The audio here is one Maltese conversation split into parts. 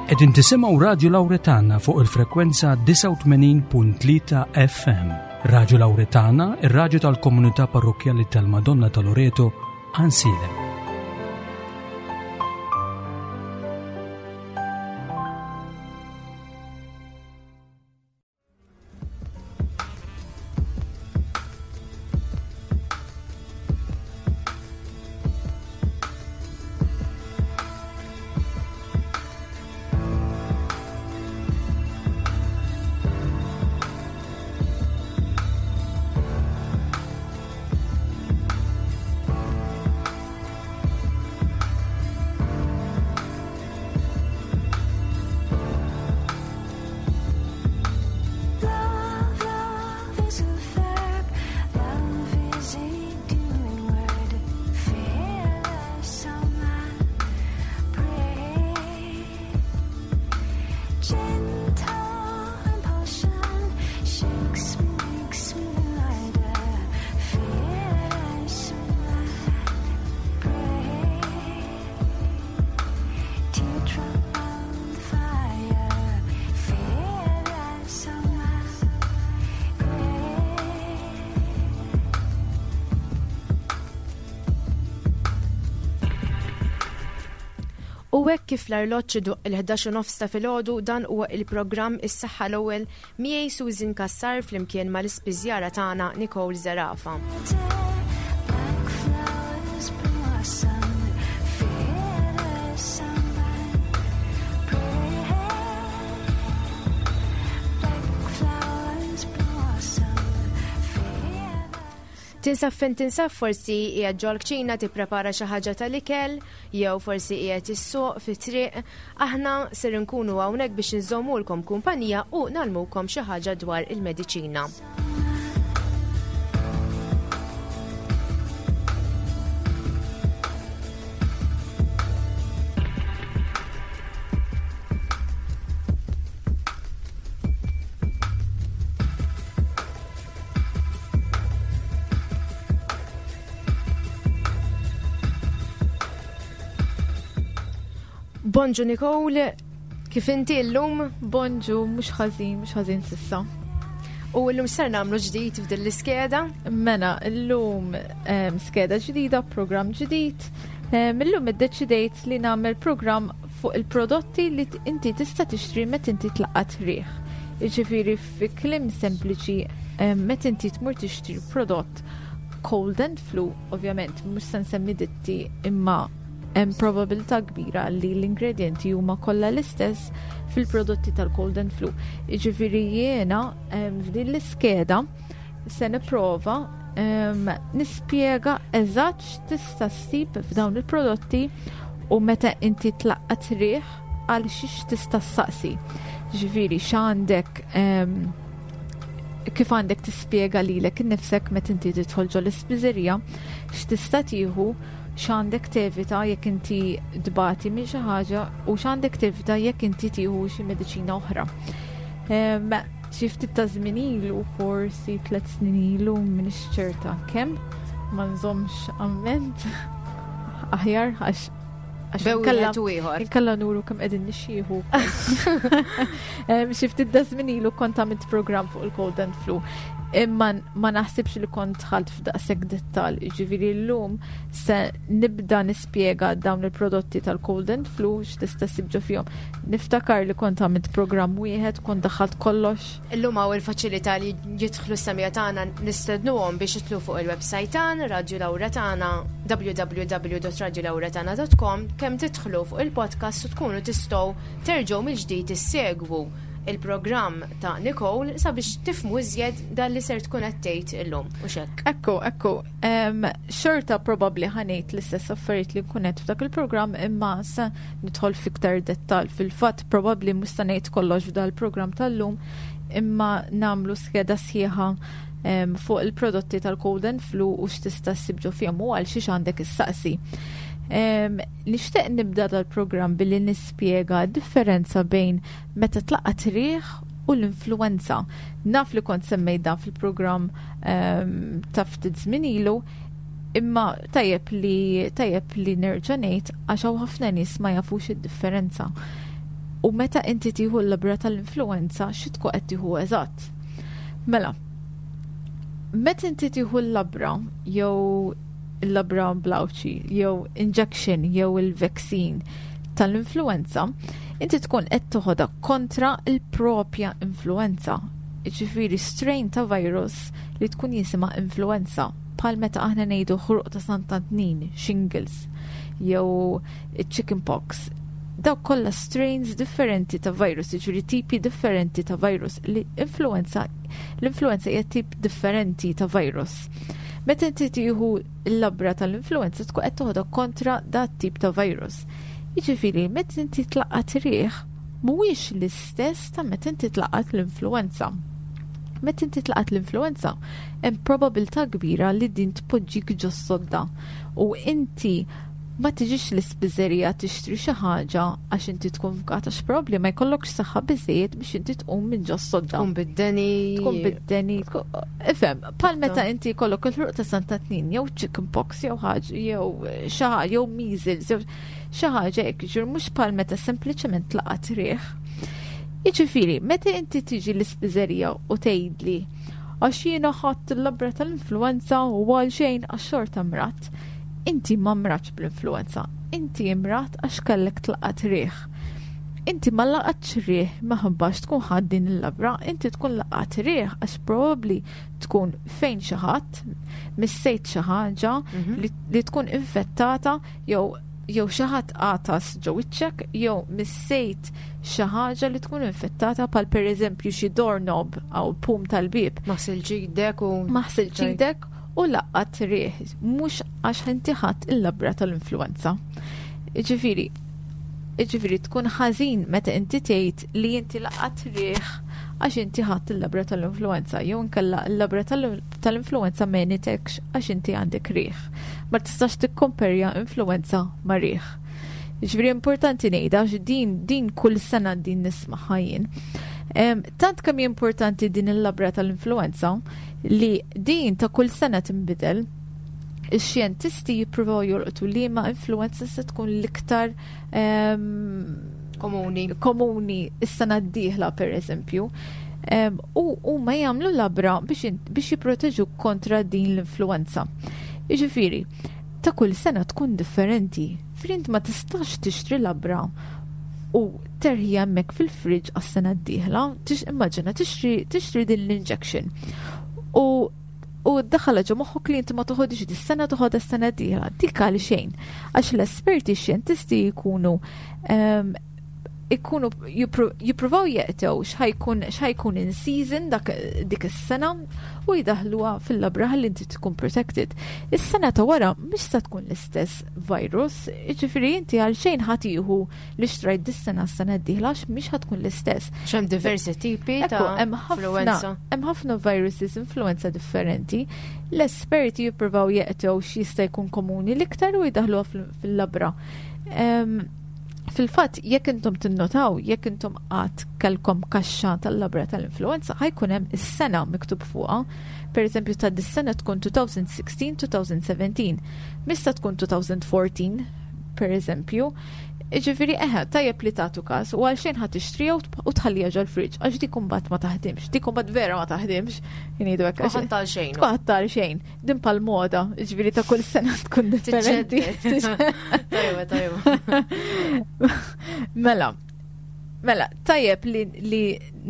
Qegħdin tisimgħu Radju Lawretana fuq il-frekwenza 89.3 FM. Radju Lawretana, ir-radju tal-komunità parrokkjali tal-Madonna ta' Loreto, Ansilem. U hekk kif l-arloġġ idoqq il-11 u nofs ta' filgħodu dan huwa il-programm Is-Saħħa l-Ewwel miegħi Susan Cassar flimkien mal-ispiżjara tagħna Nicole Zerafa. Tinsab fejn tinsab forsi qiegħed ġol-kċina tipprepara xi ħaġa tal-ikel jew forsi qiegħed issuq fit-triq, aħna ser inkunu hawnhekk biex inżommulkom kumpanija u nagħlmukom xi ħaġa dwar il-mediċina. Bonġu Nicole, kif inti llum? Bonġu, mhux ħażin, mhux ħażin sissa. U llum ser nagħmlu ġdid f'din l-iskeda? Mela, llum skeda ġdida, programm ġdid. Illum iddeċidejt li nagħmel programm fuq il-prodotti li inti tista' tixtri meta inti tlaqqat riħ. Jiġifieri fi kliem sempliċi meta inti tmur tixtri prodott cold and flu, ovvjament mhux se nsemmi ditti imma hemm probabilità kbira li l-ingredjenti huma kollha l-istess fil-prodotti tal-cold and flu. Jiġifieri jiena f'din l-iskeda se nipprova nispjega eżatt x'tista' ssib f'dawn il-prodotti u meta inti tlaqqat riħ għal xiex tista' ssaqsi. Ġifieri x'għandek kif għandek tispjega lilek innifsek meta inti tidħol ġol ispiżerija, x'tista' tieħu, x'għandek tevita jekk inti tbati minn xi ħaġa u x'għandek tevita jekk inti tieħu xi mediċina oħra. Xi ftit ta' żmien ilu, forsi tlet snin ilu, m'iniex ċerta kemm, ma nżommx amment aħjar għax Inkella nuru kemm qegħdin nixxieħu. Xi ftit da żmien ilu kont għamilt programm fuq il-cold and flu. Imma ma naħsibx li kont dħalt f'daqshekk dettal. Jiġifieri llum se nibda nispjega dawn il-prodotti tal-cold and flu x'tista' ssib ġo fihom. Niftakar li kont għamilt programm wieħed, kont daħħalt kollox. Illum hawn il-faċilità li jidħlu s-semija tagħna nistednuhom biex jidħlu fuq il-website tagħna Radio Laura tagħna www.radiolauratana.com kemm tidħlu fuq il-podcast u tkunu tistgħu terġgħu mill-ġdid issegwu il-programm ta' Nicole sabiex tifmu iżjed dan li ser tkun qed tgħid illum u xekk. Ekku, ekku, xorta probabbli ħanejt l-istess affarijiet li nkun qed f'dak il-programm imma se nidħol fiktar dettal. Fil-fatt probabbli mhux se ngħid kollox f'dal programm tal-lum imma nagħmlu skeda sħiħa fuq il-prodotti tal-cold and flu u x'tista' ssib ġo fihom u għal xiex għandek issaqsi. Nixtieq nibda dal-programm billi nispjega differenza bejn meta tlaqqat riħ u l-influenza. Naf li kont semmejt dan fil-programm ta' ftit żmien ilu, imma tajjeb li tajjeb li nerġa' ngħid għax hawn ħafna nies ma jafux id-differenza. U meta inti tieħu l-labra tal-influenza xi tkun qed tieħu eżatt. Mela, meta inti tieħu l-labra jew il-labra blawċi jew injection jew il-vaccine tal-influenza, inti tkun qed toħodha kontra l-propja influenza. Jiġifieri strain ta' virus li tkun jisimha influenza, bħal meta aħna ngħidu ħruq ta' Sant'Antnin, shingles, jew chicken pox. Dawk kollha strains differenti ta' virus, jiġifieri tipi differenti ta' virus li influenza l-influenza hija tip differenti ta' virus. Meta inti tieħu l-labra tal-influenza tkun qed toħodha kontra dat tip ta' virus. Jiġifieri meta inti tlaqqat riħ mhuwiex l-istess ta' meta inti tlaqqat l-influenza. Meta inti tlaqat l-influenza, hemm probabilità kbira li din tpoġġik ġo sodda u inti ma tiġix l-ispiżerija tixtri xi ħaġa għax inti tkun fgat għax probabbli ma jkollokx saħħa biżejjed biex inti tqum minn ġo sodda. Tkun bid-deni. Tkun bid-deni. Ifhem, bħal meta inti jkollok il-ħruq ta' Santa Tnin jew chicken pox jew ħaġa jew xi ħaġa jew measles jew xi ħaġa hekk, ġifieri mhux bħal meta sempliċement tlaqat riħ. Jiġifieri, meta inti tiġi l-ispiżerija u tgħidli għax jiena ħadt il-labra tal-influenza u għal xejn għax xorta mradt. Inti ma mradtx bl-influenza, inti imradt għax kellek tlaqat riħ. Inti ma laqatx riħ minħabba għax tkun ħadt din il-labra, inti tkun laqat riħ għax probabbli tkun fejn xi ħadd, missejt xi ħaġa mhm. li tkun infettata jew jew xi ħadd għatas ġo wiċċek jew missejt xi ħaġa li tkun infettata bħal pereżempju xi doorknob aw pum tal-bieb. Ma ħsiltx idek u Ma ħsiltx idek u laqqat riħ mhux għax inti ħadt il-labra tal-influenza. Jiġifieri, jiġifieri tkun ħażin meta inti tgħid li inti laqqat riħ għax inti ħadt il-labra tal-influenza jew inkella l-labra tal-influenza m'għenitekx għax inti għandek riħ. Ma tistax tikkomperja influenza ma' riħ. Ġifieri importanti ngħidha għax din din kull sena din nismagħha jien. Tant kemm hi importanti din il-labra tal-influenza li din ta' kull sena tinbidel. Ix-xjentisti jippruvaw jolqtu liema influenza se tkun l-iktar komuni komuni is-sena d-dieħla pereżempju. U huma jagħmlu labra biex biex jipproteġu kontra din l-influenza. Jiġifieri, ta' kull sena tkun differenti. Frint ma tistax tixtri labra u terħi hemmhekk fil-fridge għas-sena d-dieħla, immaġina tixtri tixtri din l-injection. U u ddaħħalha ġo moħħok li inti ma toħodix dis-sena toħodha s-sena d-dieħla. Dik għal xejn. Għax l-esperti xjentisti jkunu ehm, ikunu jippruvaw jeqtew x'ħajkun x'ħajkun in season dak dik is-sena u jdaħluha fil-labra ħalli inti tkun protected. Is-sena ta' wara mhix se tkun l-istess virus, jiġifieri inti għal xejn ħa tieħu li xtrajt dis-sena s-sena d-dieħla għax mhix ħa tkun l-istess. X'hemm diversi tipi ta' influenza. Hemm ħafna viruses influenza differenti. L-esperti jippruvaw jeqtew x'jista' jkun komuni l-iktar u jdaħluha fil-labra. Fil-fatt, jekk intom tinnotaw, jekk intom qatt kellkom kaxxa tal-labra tal-influenza, ħajkun hemm is-sena miktub fuqha. Per eżempju, ta' dis-sena tkun 2016-2017, mista tkun 2014, per eżempju. Jiġifieri eħe, tajjeb li tagħtu każ u għalxejn ħa tixtriha u tħalliha ġol-fridge għax dik imbagħad ma taħdimx, dik imbagħad vera ma taħdimx, ngħidu hekk. Tkun ħadd għal xejn. Tkun ħadd għal xejn. Din pal moda, jiġifieri ta' kull sena tkun differenti. Tajba, tajba. Mela, mela, tajjeb li, li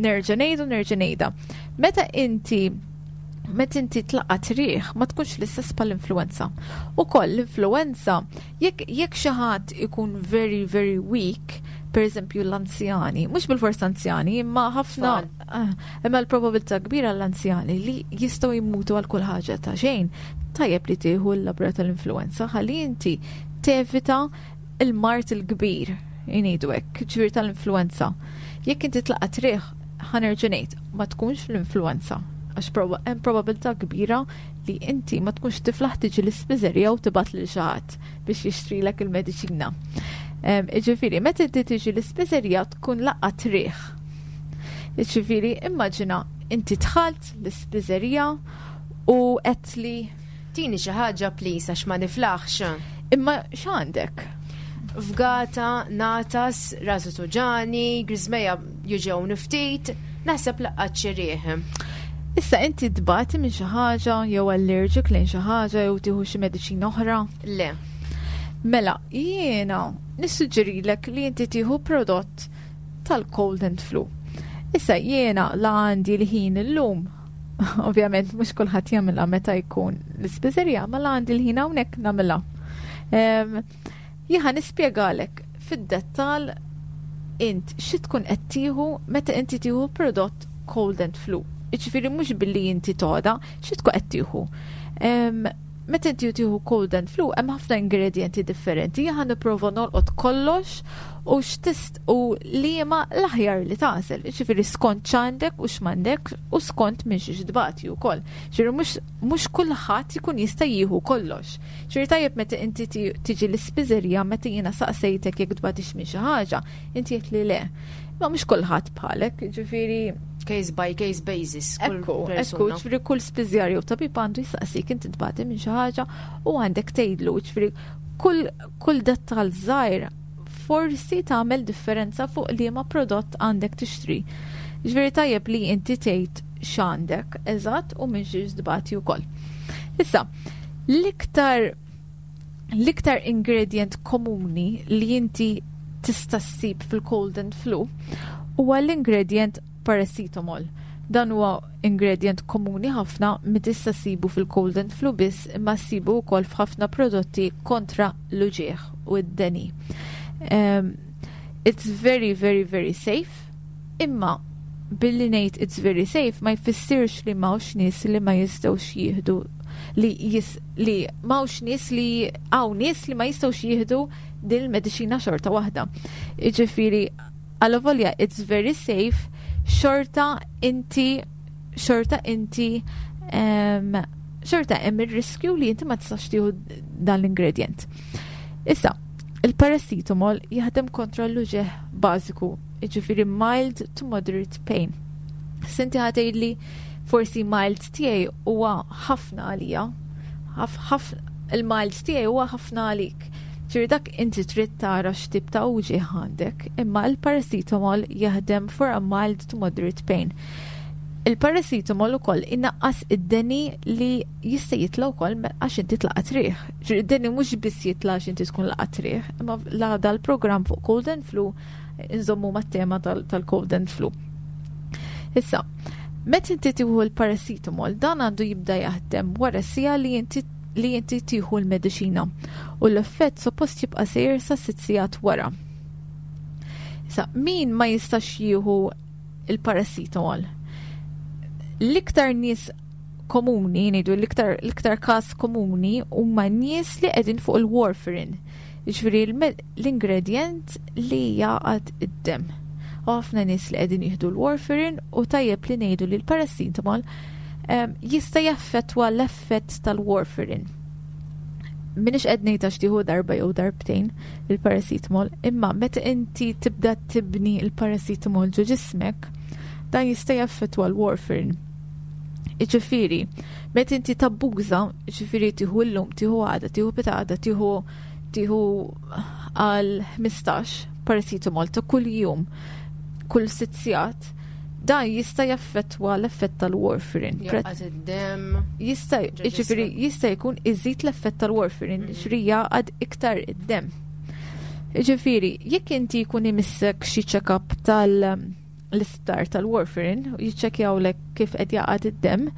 nerġa' ngħidu nerġa' ngħidha. Meta inti meta inti tlaqat riħ ma tkunx l-istess bħall-influenza. Ukoll l-influenza Jekk jekk xi ħadd ikun very very weak, per eżempju l-anzjani, mhux bil-fors anzjani, imma ħafna eh, imma l-probabilità kbira l-anzjani li jistgħu jmutu għal kull ħaġa ta' xejn, tajjeb li tieħu l-labra tal-influenza ħalli inti tevita il-mart il-kbir, jgħidu hekk, ġifieri tal-influenza. Jekk inti tlaqat riħ, ħanerġa' ngħid, ma tkunx l-influenza għax hemm probabilità kbira li inti ma tkunx tiflaħ tiġi l-ispiżerija u tibgħat lil xi ħadd biex jixtrilek il-mediċina. Jiġifieri, meta inti tiġi l-ispiżerija tkun laqgħat riħ. Jiġifieri, immaġina inti dħalt l-ispiżerija u qed li Tini xi ħaġa please għax ma niflaħx. Imma x'għandek? Fgata, nagħtas, rasu tuġani, griżmejja juġgħuni ftit, naħseb laqqat xi riħ. Issa inti tbati minn xi ħaġa jew allergic lejn xi ħaġa jew tieħu xi mediċina oħra? Le. Mela, jiena nissuġġerilek li inti tieħu prodott tal-cold and flu. Issa jiena la għandi l-ħin illum, ovvjament mhux kulħadd jagħmilha meta jkun l-ispiżerija, ma la għandi l-ħin hawnhekk nagħmilha. Jiena nispjegalek fid-dettal int xi tkun qed tieħu meta inti tieħu prodott cold and flu. Jiġifieri mhux billi inti toda, xi tkun qed tieħu. Meta inti tieħu cold and flu hemm ħafna ingredienti differenti, jien nipprova nolqot kollox u x'tist u liema l-aħjar li tagħżel. Jiġifieri skont x'għandek u x'm'għandek u skont minn xiex tbati wkoll. Ġifieri mhux kulħadd ikun jista' jieħu kollox. Ġifieri tajjeb meta inti tiġi l-ispiżerija meta jiena saqsejtek jekk tbatix minn xi ħaġa, inti għedt li le. Ma mhux kulħadd bħalek, ġifieri case by case basis. Ekku, ekku, ġifieri kull spiżjar jew tabib għandu jistaqsik inti tbati minn xi ħaġa u għandek tgħidlu, ġifieri kull kull dettal żgħir forsi tagħmel differenza fuq liema prodott għandek tixtri. Ġifieri tajjeb li inti tgħid x'għandek eżatt u minn xiex tbati wkoll. Issa, l-iktar l-iktar ingredient komuni li inti tista' ssib fil-cold and flu huwa l-ingredient paracetamol. Dan huwa ingredient komuni ħafna mi tista' ssibu fil-cold and flu biss imma ssibu wkoll f'ħafna prodotti kontra l-uġieħ u d-deni. It's very, very, very safe. Imma billi ngħid it's very safe ma jfissirx li m'hawnx nies li ma jistgħux jieħdu li jis, li m'hawnx nies li hawn nies li ma jistgħux jieħdu din il-mediċina xorta waħda. Jiġifieri għalavolja it's very safe, xorta inti xorta inti xorta hemm ir-riskju li inti ma tistax tieħu dan l-ingredient. Issa, il-paracetamol jaħdem kontra l-uġigħ bażiku, jiġifieri mild to moderate pain. S'inti ħa tgħidli forsi mild tiegħi huwa ħafna għalija. Il-mild tiegħi huwa ħafna għalik. Ġifieri dak inti trid tara x'tip ta' uġigħ għandek, imma il-paracetamol jaħdem for a mild to moderate pain. Il-paracetamol ukoll inaqqas id-deni li jista' jitla' wkoll għax inti tlaqat riħ. Ġifieri id-deni mhux biss jitla' għax inti tkun laqat riħ, imma la dal-programm fuq cold and flu nżommu mat-tema tal-cold and flu. Issa, meta inti tieħu l-paracetamol, dan għandu jibda jaħdem wara siegħa li inti tieħu l-mediċina u l-effett suppost jibqa' sejjer sa 6 sigħat wara. Issa, min ma jistax jieħu il-paracetamol? L-iktar nies komuni, ngħidu l-iktar każ komuni huma nies li qegħdin fuq il-warfarin. Jiġifieri l-ingredient li jgħaqqad id-demm. U ħafna nies li qegħdin jieħdu l-warfarin u tajjeb li ngħidu li l-paracetamol jista' jaffettwa l-effett tal-warfarin. Minix qed ngħid għax tieħu darba jew darbtejn il-paracetamol, imma meta inti tibda tibni il-paracetamol ġo ġismek, dan jista' jaffettwa l-warfarin. Jiġifieri, meta inti tabbuża, jiġifieri tieħu llum, tieħu għada, tieħu pitgħada, tieħu għal 15 paracetamol ta' kull jum, kull 6 sigħat, dan jista' jaffettwa l-effett tal-warfarin. Jgħaqqad id-demm. Jista' Ġo jiġifieri ġismek. jista' jkun iżid l-effett tal-warfarin, jiġifieri jgħaqqad iktar id-demm. Jiġifieri, jekk inti jkun imissek xi check-up tal-isptar tal-warfarin u jiċċekkjawlek kif qed jgħaqqad id-demm,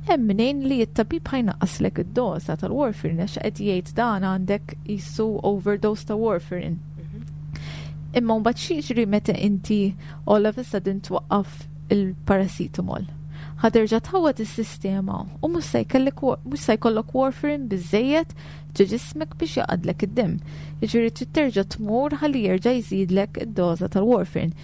hemm mnejn li t-tabib ħa jnaqqaslek id-doża tal-warfarin għax qed jgħid dan għandek jisu overdose ta' warfarin. Imma mbagħad xi jiġri meta inti all of a sudden twaqqaf il-paracetamol? Ħa terġa' tħawwad is-sistema u mhux se jkollok warfarin biżejjed ġo ġismek biex jgħaqqadlek id-demm. Jiġifieri trid terġa' tmur ħalli jerġa' jżidlek id-doża tal-warfarin.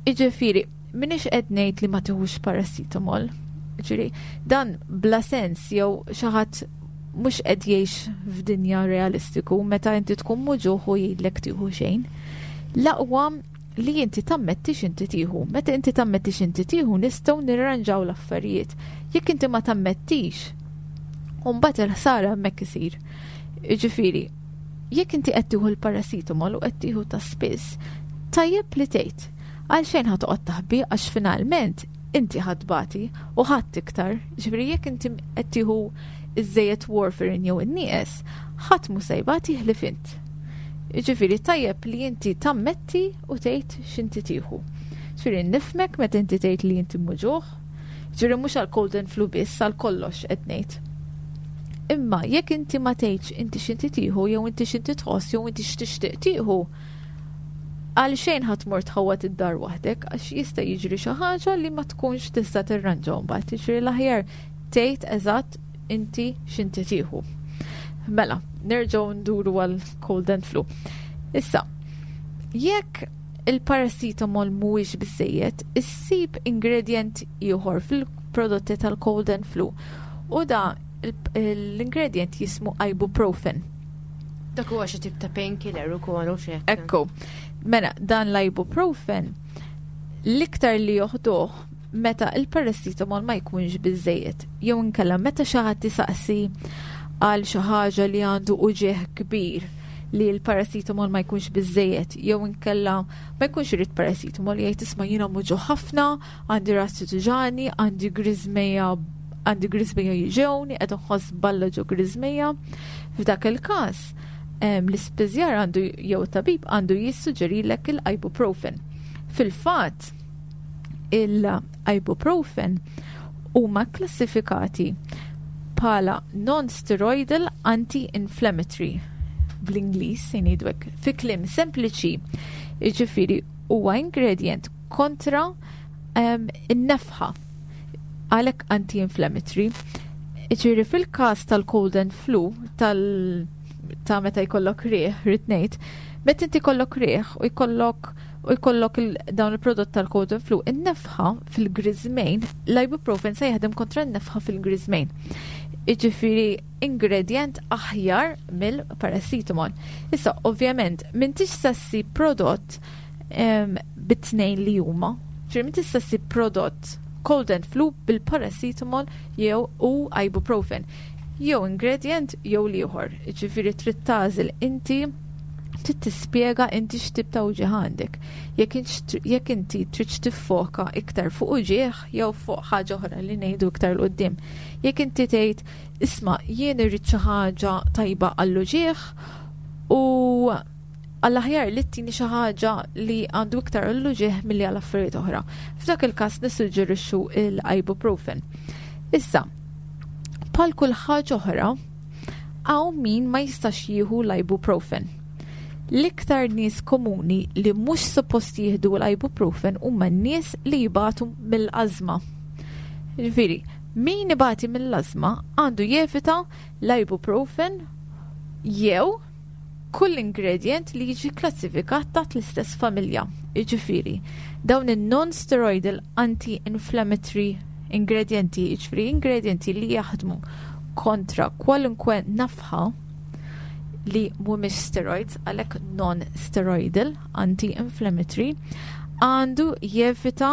Jiġifieri, minix qed ngħid li ma tieħux paracetamol. Jiġifieri, dan bla sens jew xi ħadd mhux qed jgħix f'dinja realistiku meta inti tkun muġugħ u jgħidlek tieħu xejn. L-aqwa li inti tammetti x'inti tieħu. Meta inti tammetti x'inti tieħu nistgħu nirranġaw l-affarijiet. Jekk inti ma tammettix, u mbagħad il-ħsara hemmhekk isir. Jiġifieri, Jekk inti qed tieħu l-paracetamol u qed tieħu ta' spiss, tajjeb li tgħid. Għalxejn ħa toqgħod taħbi għax finalment inti ħa tbati u ħadd iktar. Ġifieri jekk inti qed tieħu iż-żejjed warfarin jew in-nieqes, ħadd mhu se jbati ħlief int. Ġifieri tajjeb li inti tammetti u tgħid x'inti tieħu. Ġifieri nifhmek meta inti tgħid li inti muġugħ, ġifieri mhux għal cold and flu biss, għal kollox qed ngħid. Imma jekk inti ma tgħidx inti x'inti tieħu jew inti x'inti tħoss jew inti x'tixtieq tieħu, għal xejn ħa tmur tħawwad id-dar waħdek għax jista' jiġri xi ħaġa li ma tkunx tista' tirranġa mbagħad. Jiġri l-aħjar tgħid eżatt inti x'inti tieħu. Mela, nerġgħu nduru għal cold and flu. Issa, jekk il-paracetamol mhuwiex biżejjed, issib ingredient ieħor fil-prodotti tal-cold and flu. U da l-ingredient jismu ibuprofen. Dak huwa xi tip ta' painkiller ukoll u xi. Ekku. Mela, dan l-ibuprofen l-iktar li joħduh meta il-paracetamol ma jkunx biżejjed. Jew inkella meta xi ħadd isaqsi għal xi ħaġa li għandu uġigħ kbir li l-paracetamol ma jkunx biżejjed, jew inkella ma jkunx irid paracetamol jgħid isma' jiena muġugħ ħafna, għandi rasi tuġagħni, għandi griżmejja għandi griżmejja juġgħuni, qed inħoss balla ġo griżmejja. F'dak il-każ, l-ispiżjar għandu jew tabib għandu jissuġġerilek il-ibuprofen. Fil-fatt, il-ibuprofen huma klassifikati bħala non-steroidal anti-inflammatory bl-Ingliż se ngħidu hekk. Fi kliem sempliċi, jiġifieri huwa ingredient kontra in-nefħa għalhekk anti-inflammatory. Jiġifieri fil-każ tal-cold and flu tal ta' meta jkollok riħ, rrid ngħid, meta inti jkollok riħ u jkollok dawn il-prodott tal-cold and flu, in-nefħa fil-griżmejn, l-ibuprofen se jaħdem kontra n-nefħa fil-griżmejn. Jiġifieri ingredient aħjar mill-paracetamol. Issa, ovvjament, m'intix se ssib prodott bit-tnejn li huma. Ġifieri m'intix se ssib prodott cold and flu bil-paracetamol jew u ibuprofen. Jew ingredient jew l-ieħor. Ġifieri trid tagħżel inti, trid tispjega inti x'tip ta' uġigħ għandek. Jekk inti trid tiffoka iktar fuq uġigħ jew fuq ħaġa oħra li ngħidu iktar 'l quddiem. Jekk inti tgħid isma' jien irrid xi ħaġa tajba għall-uġigħ u għall-aħjar li ttini xi ħaġa li għandu iktar għall-uġigħ milli għal affarijiet oħra. F'dak il-każ nissuġġerixxu l-ibuprofen. Issa, bħal kull ħaġa oħra, hawn min ma jistax jieħu l-ibuprofen. L-iktar nies komuni li mhux suppost jieħdu l-ibuprofen huma n-nies li jibatu mill-ażma. Ġifieri, min ibati mill-ażma għandu jevita l-ibuprofen jew kull ingredient li jiġi klassifikat taħt l-istess familja. Jiġifieri, dawn in-non-steroidal anti-inflammatory ingredienti, jiġifieri ingredienti li jaħdmu kontra kwalunkwe nafħa li mhumiex steroids, għalhekk non-steroidal anti-inflammatory, għandu jevita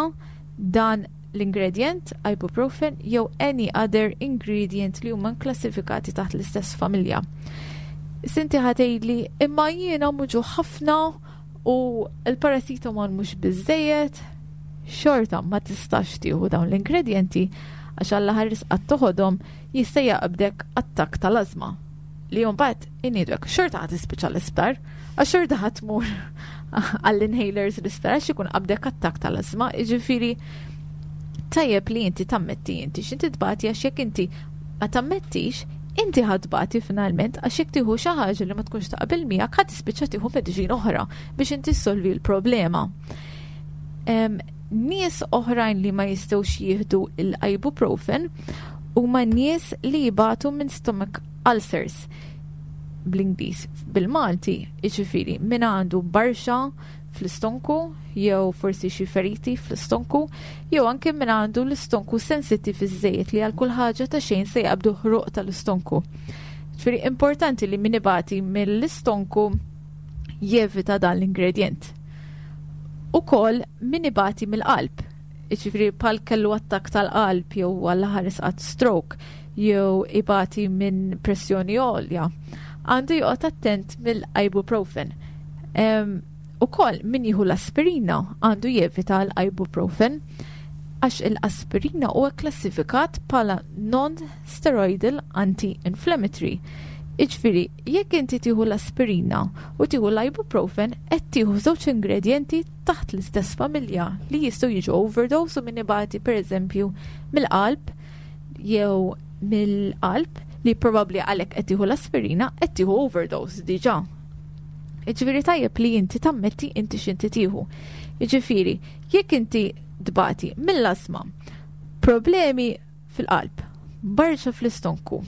dan l-ingredient ibuprofen jew any other ingredient li huma klassifikati taħt l-istess familja. Inti ħa tgħidli imma jiena muġugħ ħafna u l-paracetamol mhux biżejjed, xorta ma tistax tieħu dawn l-ingredienti għax Alla ħares qatt toħodhom jista' jaqbdek attakk tal-ażma. Li mbagħad inidwek xorta ħa tispiċċa l-isptar, għax xorta ħa tmur għall-inhalers l-isptar għax ikun qabdek attakk tal-ażma, jiġifieri tajjeb li inti tammetti inti x'inti tbati għax jekk inti ma tammettix, inti ħa tbati finalment għax jekk tieħu xi ħaġa li ma tkunx taqbel miegħek ħa tispiċċa tieħu mediċina oħra biex inti ssolvi l-problema. Nies oħrajn li ma jistgħux jieħdu l-ibuprofen huma nies li jibatu minn stomach ulcers bl-Ingliż. Bil-Malti, jiġifieri min għandu barxa fl-istonku jew forsi xi feriti fl-istonku, jew anke min għandu l-istonku sensittiv iżżejjed li għal kull ħaġa ta' xejn se jaqbdu ħruq tal-istonku. Ġifieri importanti li min ibati mill-istonku jevita dan l-ingredient. Ukoll min ibati mill-qalb, jiġifieri bħal kellu attakk tal-qalb jew għall-ħares qatt stroke jew ibati minn pressjoni għolja. Għandu joqgħod attent mill-ibuprofen. Ukoll min jieħu l-aspirina għandu jevita l-ibuprofen għax il-aspirina huwa klassifikat bħala non-steroidal anti-inflammatory. Iġifieri, jekk inti tieħu l-aspirina u tieħu l-ibuprofen, qed tieħu żewġ ingredjenti taħt l-istess familja li jistgħu jiġu overdose u min ibati pereżempju mill-qalb jew mill-qalb li probabbli għalhekk qed tieħu l-aspirina qed tieħu overdose diġà. Jiġifieri tajjeb li inti tammetti inti x'inti tieħu. Jiġifieri, jekk inti tbati mill-asma, problemi fil-qalb, barxa fl-istonku,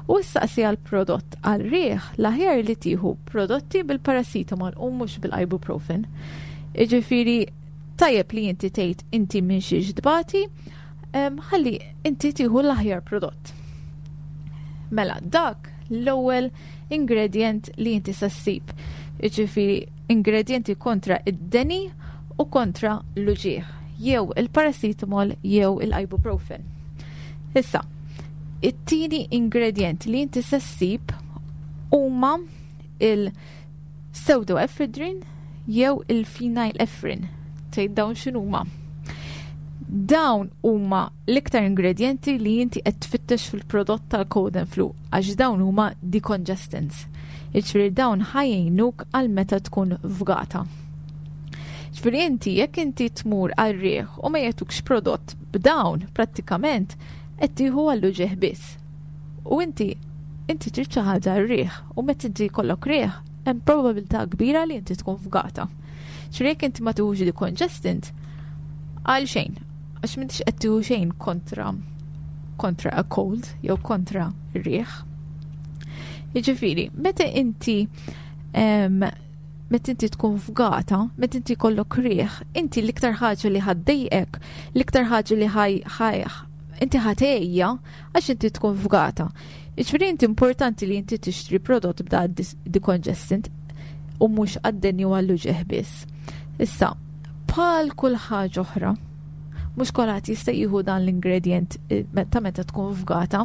u issaqsi għal prodott għal riħ l-aħjar li tieħu prodotti bil-paracetamol u mhux bil-ibuprofen. Jiġifieri tajjeb li inti tgħid inti minn xiex tbati, ħalli inti tieħu l-aħjar prodott. Mela dak l-ewwel ingredient li inti se ssib. Jiġifieri ingredienti kontra id-deni u kontra l-uġigħ, jew il-paracetamol jew il-ibuprofen. Issa, it-tieni ingredient li inti se ssib huma il-pseudoephedrine jew il-phenylephrine. Tgħid dawn x'inhuma? Dawn huma l-iktar ingredienti li inti qed tfittex fil-prodott tal-cold and flu għax dawn huma decongestants. Jiġifieri dawn ħa jgħinuk għal meta tkun fgata. Ġifieri inti jekk inti tmur għal riħ u ma jagħtukx prodott b'dawn prattikament qed tieħu għall-uġigħ biss. U inti inti trid xi ħaġa r-riħ u meta inti jkollok riħ hemm probabilità kbira li inti tkun fgata. Ġifieri jekk inti ma tieħux decongestant għal xejn, għax m'intix qed tieħu xejn kontra kontra a cold jew kontra r-riħ. Jiġifieri, meta inti meta inti tkun fgata, meta inti jkollok riħ, inti l-iktar ħaġa li ħa ddejqek, l-iktar ħaġa li ħaj ħaj inti ħa tgħejja għax inti tkun fgata. Jiġifieri inti importanti li inti tixtri prodott b'da decongestant u mhux għad-deni u għall-uġigħ biss. Issa, bħal kull ħaġa oħra, mhux kulħadd jista' jieħu dan l-ingredient ta' meta tkun fgata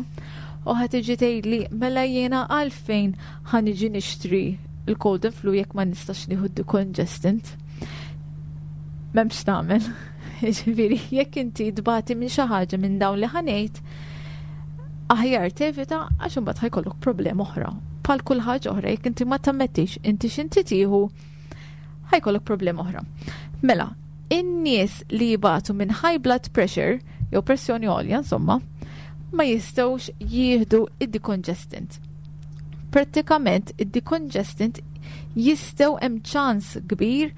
u ħa tiġi tgħidli mela jiena għalfejn ħa niġi nixtri l-cold and flu jekk ma nistax nieħu decongestant. M'hemmx tagħmel. Jiġifieri jekk inti tbati minn xi ħaġa minn dawn li ħa ngħid, aħjar tevita għax imbagħad ħa jkollok problema oħra. Bħal kull ħaġa oħra jekk inti ma tammettix inti x'inti tieħu ħa jkollok problema oħra. Mela, in-nies li jibatu minn high blood pressure jew pressjoni għolja insomma, ma jistgħux jieħdu id-decongestant. Prattikament id-decongestant jistgħu hemm ċans kbir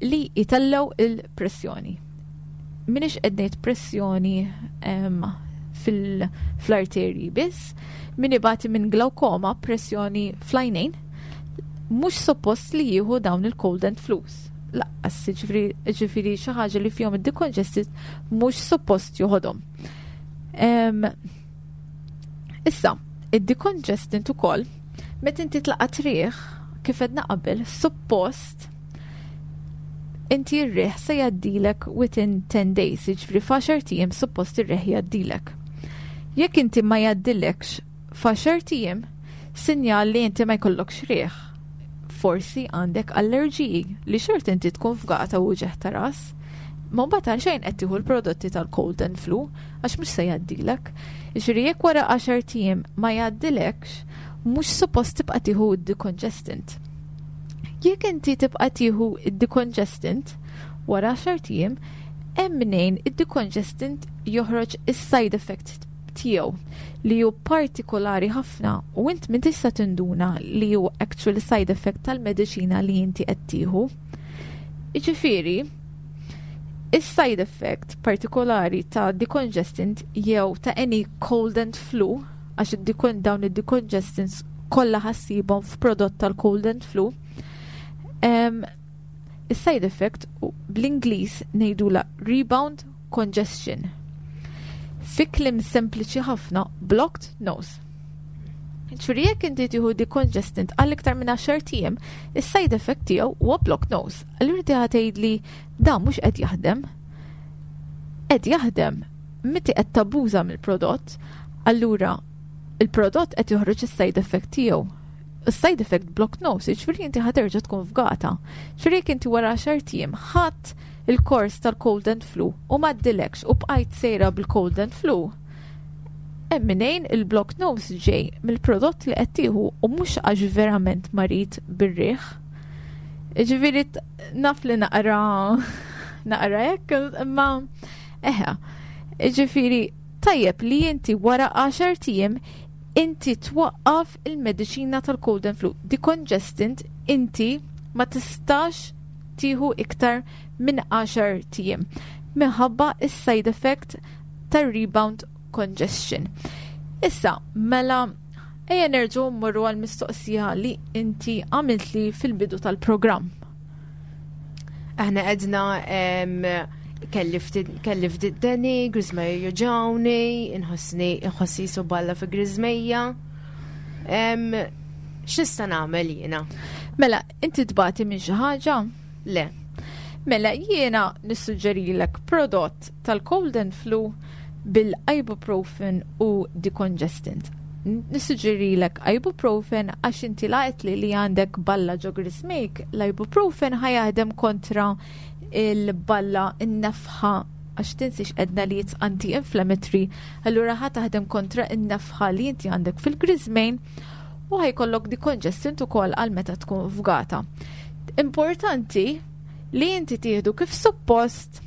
li jitellaw il-pressjoni. Minix qed ngħid pressjoni fl-arterji biss, min ibati minn glaukoma, pressjoni fl-għajnejn, mhux suppost li jieħu dawn il-cold and flus. Laqqas, ġifieri xi ħaġa li fihom id-decongestant mhux suppost joħodhom. Issa, id-decongestant ukoll, meta inti tlaqat riħ, kif għedna qabel, suppost inti r-riħ se jgħaddilek within 10 days, jiġifieri f'għaxart ijiem suppost ir-riħ jgħaddilek. Jekk inti ma jgħaddilekx f'għaxart ijiem, sinjal li inti ma jkollokx riħ. Forsi għandek allerġiji li xort inti tkun fgata u uġigħ ta' ras. Ma mbagħad għal xejn qed tieħu l-prodotti tal-cold and flu għax mhux se jgħaddilek. Jiġifieri jekk wara għaxart ijiem ma jgħaddilekx, mhux suppost tibqa' tieħu d-decongestant. Jekk inti tibqa' tieħu d-decongestant wara għaxart ijiem, hemm mnejn id-decongestant joħroġ is-side effect tiegħu li hu partikolari ħafna u int min tista' tinduna li hu actual side effect tal-mediċina li inti qed tieħu. Jiġifieri, is-side effect partikolari ta' decongestant jew ta' any cold and flu, għax dawn id-decongestants kollha ħa ssibhom f'prodott tal-cold and flu, is-side effect bl-Ingliż ngħidula rebound congestion. Fi kliem sempliċi ħafna, blocked nose. Ġifieri jekk inti tieħu decongestant għal iktar minn 10 ijiem, is-side effect tiegħu huwa blocked nose. Allura inti ħa tgħidli dan mhux qed jaħdem. Qed jaħdem, inti qed tabbuża mill-prodott, allura il-prodott qed joħroġ is-side effect tiegħu. Side effect block nose, ġifieri inti ħa terġa' tkun fgata. Ġifieri jekk inti wara 10 ijiem ħadd il-kors tal-cold and flu u ma ddilekx u bqajt sejra bil-cold and flu, hemm minejn il-block nose ġej mill-prodott li qed tieħu u mhux għax verament marid bir-riħ. Ġifieri naf li naqra naqra hekk, imma eħe. Ġifieri tajjeb li inti wara 10 ijiem inti twaqqaf il-mediċina tal-cold and flu. Decongestant inti ma tistax tieħu iktar minn 10 ijiem minħabba is-side effect tar-rebound congestion. Issa, mela, ejja nerġgħu mmorru għal mistoqsija li inti għamiltli fil-bidu tal-programm. Aħna għedna kelli ftit deni, griżmejja juġgħuni, inħossni inħossi jisu balla fi griżmejja. X'nista' nagħmel jiena? Mela, inti tbati minn xi ħaġa? Le. Mela, jiena nissuġġerilek prodott tal-cold and flu bil-ibuprofen u decongestant. Nissuġġerilek ibuprofen għax inti laqet li li għandek balla ġo griżmejk, l-ibuprofen ħa jaħdem kontra il-balla in-nefħa għax tinsix għedna li it's anti-inflammatory, allura ħa taħdem kontra in-nefħa li inti għandek fil-griżmejn u ħa jkollok decongestant ukoll għal meta tkun fgata. Importanti li inti tieħdu kif suppost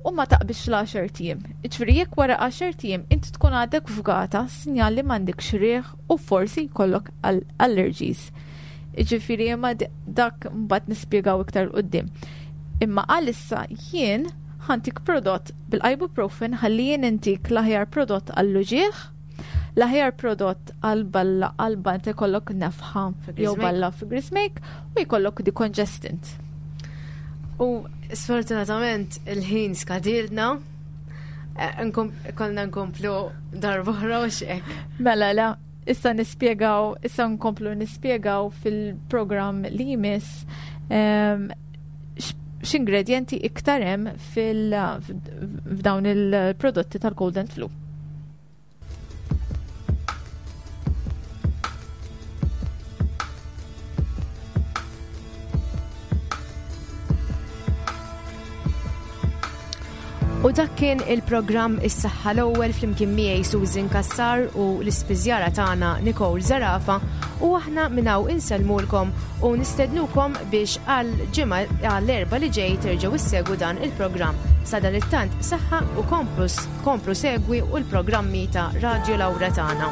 u ma taqbix l-10 ijiem. Ġifieri jekk wara 10 ijiem inti tkun għadek fgata, sinjal li m'għandekx riħ u forsi jkollok allergies. Ġifieri imma dak mbagħad nispjegaw iktar quddiem. Imma għalissa jien ħa ntik prodott bil-ibuprofen ħalli jien intik l-aħjar prodott għall-uġieħ, l-aħjar prodott għal-balla għal inti jkollok nefħa jew balla fi griżmejk u jkollok decongestant. U sfortunatament il-ħin skadilna, konna nkomplu darb'oħra u xek. Mela, la, issa nispjegaw, issa nkomplu nispjegaw fil-programm li jmiss x'ingredienti iktar hemm f'dawn il-prodotti tal-cold and flu. U dak kien il-programm Is-Saħħa l-ewwel flimkien miegħi Susan Kassar u l-ispiżjara tagħna Nicole Zarafa u aħna minn hawn insellmulkom u nistednukom biex għal ġimgħa għall-erba' li ġej terġgħu issegwu dan il-programm. Sadanittant saħħa u komplu komplu segwi u l-programmi ta' Radio Laura tagħna.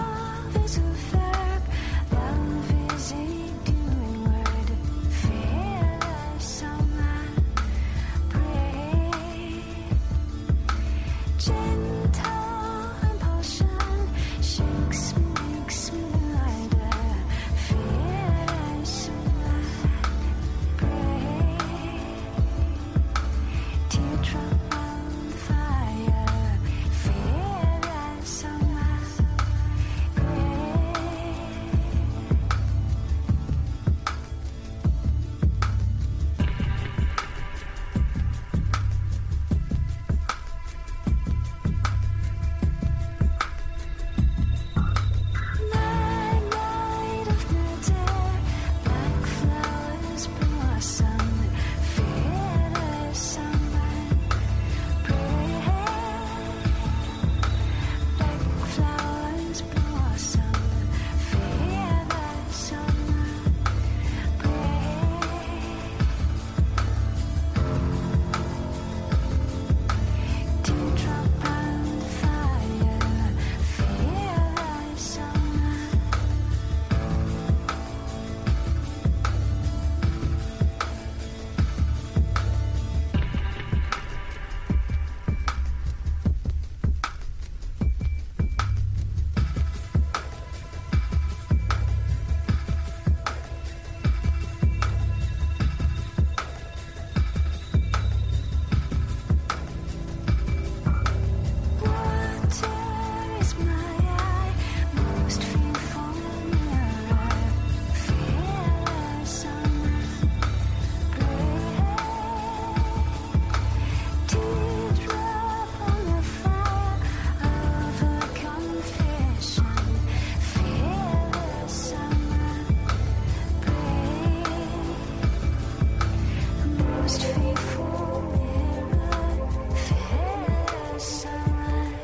Most faithful mirror, fair sun,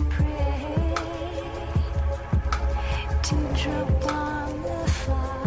pray to drop on the fire.